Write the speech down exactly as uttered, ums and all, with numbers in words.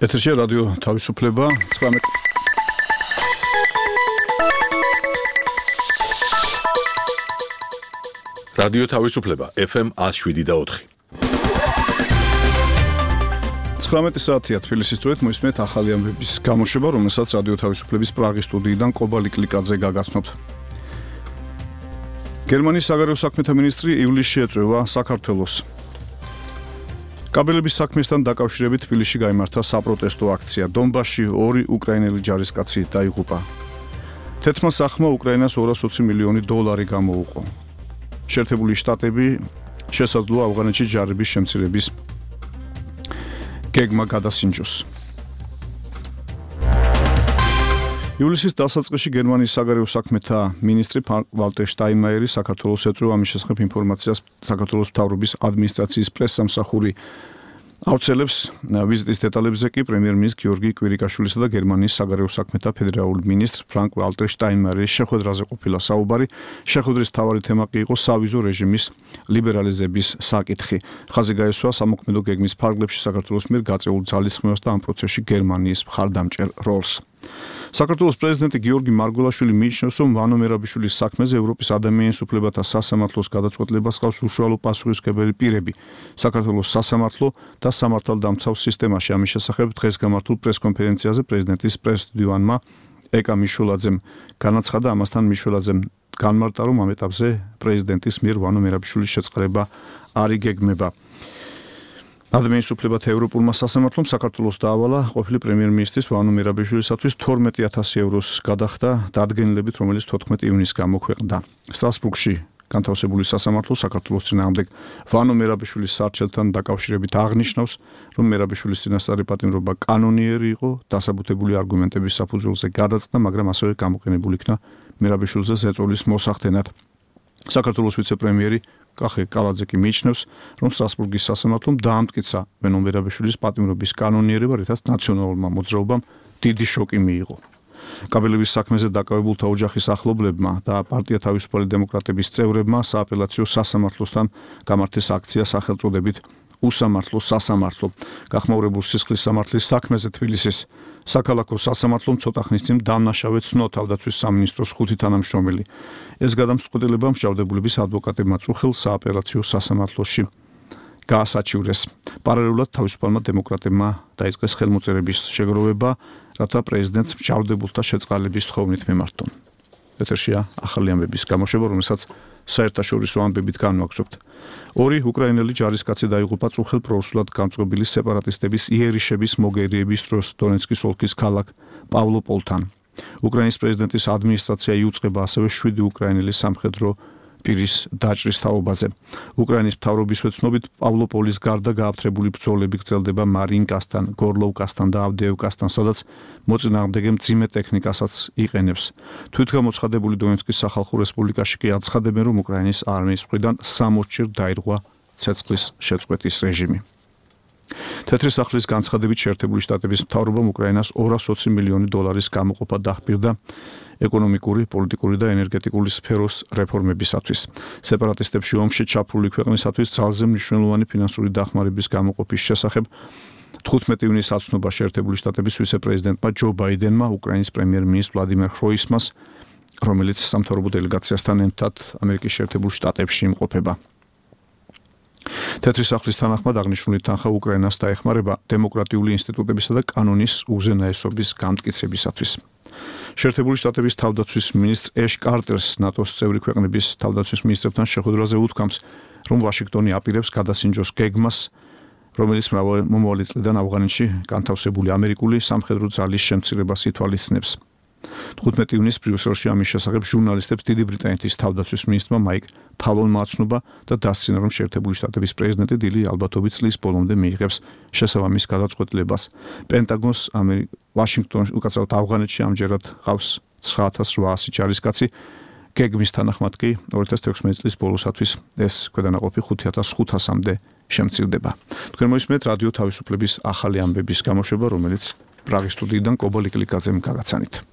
ეთერში რადიო თავისუფლება ცხრამეტ რადიო თავისუფლება ეფ ემ one oh seven და four. ცხრამეტი საათია თბილისის დროით მოისმენთ ახალი ამბების გამოშვება, რომელსაც რადიო თავისუფლების პრაღის სტუდიიდან კობალი კლიკაძე გაგაცნობთ. გერმანიის საგარეო საქმეთა მინისტრი ივლისში ეწევა საქართველოს. კაბელების საქმესთან დაკავშირებით თბილისში გაიმართა საპროტესტო აქცია. დონბასში ორი უკრაინელი ჯარისკაცი დაიღუპა. თეთრმა სახმა უკრაინას ორ ათას ოცი მილიონი დოლარი გამოუყო. შეერთებული შტატები შესაძლოა ავღანეთში ჯარების შემცირების გეგმა გადასინჯოს. ივლისის დასაწყისში გერმანიის საგარეო საქმეთა მინისტრი ვალტერ შტაინმაიერი საქართველოს ეწევა ამის შესახებ ინფორმაციას საქართველოს მთავრობის ადმინისტრაციის პრესსამსახური ავრცელებს. ვიზიტის დეტალებზე კი პრემიერ-მინისტრი გიორგი კვირიკაშვილისა და გერმანიის საგარეო საქმეთა ფედერალური მინისტრ ფრანკ ვალტერ შტაინმაიერის შეხვედრაზე ყოფილა საუბარი. შეხვედრის მთავარი თემა კი იყო სავიზო რეჟიმის ლიბერალიზების საკითხი. ხაზი გაესვა სამოქმედო გეგმის ფარგლებში საქართველოს მიერ გაწეულ ძალისხმევას და ამ პროცესში გერმანიის მხარდამჭერ როლს. საქართველოს პრეზიდენტი გიორგი მარგველაშვილი მიიჩნევს, რომ ვანო მერაბიშვილის საქმეზე ევროპის ადამიანის უფლებათა სასამართლოს გადაწყვეტილებას ჰყავს უშუალო პასუხისმგებელი პირები. საქართველოს სასამართლო და სამართალდამცავ სისტემაში. ამის შესახებ დღეს გამართულ პრესკონფერენციაზე პრეზიდენტის პრესდივანმა ეკა მიშულაძემ განაცხადა, ამასთან მიშულაძემ განმარტა, რომ ამ ეტაპზე პრეზიდენტის მიერ ვანო მერაბიშვილის შეწყება არ იგეგმება. ადამიანის უფლებათა ევროპულმა სასამართლომ საქართველოს დაავალა ყოფილი პრემიერ-მინისტრის ვანო მერაბიშვილისათვის თორმეტი ათასი ევროს გადახდა დადგენილებით, რომელიც თოთხმეტი ივნისს გამოქვეყნდა. სტრასბურგში განთავსებული სასამართლო საქართველოს წინააღმდეგ ვანო მერაბიშვილის სარჩელთან დაკავშირებით აღნიშნავს, რომ მერაბიშვილის წინასწარი პატიმრობა კანონიერი იყო, დასაბუთებული არგუმენტების საფუძველზე გადაწყდა, მაგრამ ასევე გამოყენებული იქნა მერაბიშვილზე ზეწოლის მოსახდენად. საქართველოს ვიცე-პრემიერი კახე კალაძე კი მიიჩნევს, რომ სტრასბურგის სასამართლომ დაამტკიცა ვანო მერაბიშვილის პატიმრობის კანონიერება, რითაც ნაციონალურმა მოძრაობამ დიდი შოკი მიიღო. კაბელების საქმეზე დაკავებულთა ოჯახის ახლობლებმა და პარტია თავისუფალი დემოკრატების წევრებმა სააპელაციო სასამართლოსთან გამართეს აქცია სახელწოდებით უსამართლო სასამართლო. გახმაურებულ სისხლის სამართლის საქმეზე თბილისის საქალაქო სასამართლომ ცოტა ხნის წინ დამნაშავე ცნო თავდაცვის სამინისტროს ხუთი თანამშრომელი. ეს გადამწყვეტილება მსჯავრდებულების ადვოკატებმა წუხელ სააპელაციო სასამართლოში გაასაჩივრეს. პარალელურად თავისუფალმა დემოკრატებმა დაიწყეს ხელმოწერების შეგროვება, რათა პრეზიდენტს მსჯავრდებულთა შეწყალების თხოვნით მიმართონ. ეთერშია ახალი ამბების გამოშვება, რომელსაც საერთაშორისო ამბებით განვაგრძობთ. ორი უკრაინელი ჯარისკაცი დაიღუპა წუხელ პროუსულად განწყობილი სეპარატისტების იერიშების მოგერიების დროს დონეცკის ოლქის ქალაქ პავლოპოლთან. უკრაინის პრეზიდენტის ადმინისტრაცია იუწყება ასევე შვიდი უკრაინელი სამხედრო პირის დაჭრის თაობაზე. უკრაინის მთავრობის ვეცნობით პავლოპოლის გარდა გააფთრებული ბრძოლები გრძელდება მარინკასთან, გორლოვკასთან და ავდეევკასთან, სადაც მოწინააღმდეგე მძიმე ტექნიკასაც იყენებს. თვითგამოცხადებული დონეცკის სახალხო რესპუბლიკაში კი აცხადებენ, რომ უკრაინის არმიის მხრიდან სამოცჯერ დაირღვა ცეცხლის შეწყვეტის რეჟიმი. თეთრი სახლის განცხადებით შეერთებული შტატების მთავრობამ უკრაინას ორ ათას ოცი მილიონი დოლარის გამოყოფა დაჰპირდა ეკონომიკური, პოლიტიკური და ენერგეტიკული სფეროს რეფორმებისათვის. სეპარატისტებში ომში ჩაფლული ქვეყნისათვის ძალზე მნიშვნელოვანი ფინანსური დახმარების გამოყოფის შესახებ თხუთმეტი ივნისს აცნობა შეერთებული შტატების ვიცე-პრეზიდენტმა ჯო ბაიდენმა უკრაინის პრემიერ-მინისტრ ვლადიმერ ხროისმას, რომელიც სამთავრობო დელეგაციასთან ერთად ამერიკის შეერთებულ შტატებში იმყოფება. თეთრი სახლის თანახმად აღნიშნული თანხა უკრაინას დაეხმარება დემოკრატიული ინსტიტუტებისა და კანონის უზენაესობის გამტკიცებისათვის. შეერთებული შტატების თავდაცვის მინისტრ ეშ კარტერს ნატოს წევრი ქვეყნების თავდაცვის მინისტრებთან შეხვედრაზე უთქვამს, რომ ვაშინგტონი აპირებს გადასინჯოს გეგმას, რომელიც მომავალი წლიდან ავღანეთში განთავსებული ამერიკული სამხედრო ძალის შემცირებას ითვალისწინებს. თხუთმეტი ივნისს ბრიუსელში ამის შესახებ ჟურნალისტებს დიდი ბრიტანეთის თავდაცვის მინისტრმა მაიკ ფალონმა აცნობა და დასცინა, რომ შეერთებული შტატების პრეზიდენტი დილი ალბათობით წლის ბოლომდე მიიღებს შესაბამის გადაწყვეტილებას. პენტაგონს ვაშინგტონში, უკაცრავად ავღანეთში ამჯერად ყავს ცხრა ათას რვაასი ჯარისკაცი. გეგმის თანახმად კი ორი ათას თექვსმეტი წლის ბოლოსათვის ეს ქვედანაყოფი ხუთი ათას ხუთასამდე შემცირდება. თქვენ მოისმენთ რადიო თავისუფლების ახალი ამბების გამოშვება, რომელიც პრაღის სტუდიიდან კობალი კლიკაძემ გაგაცანით.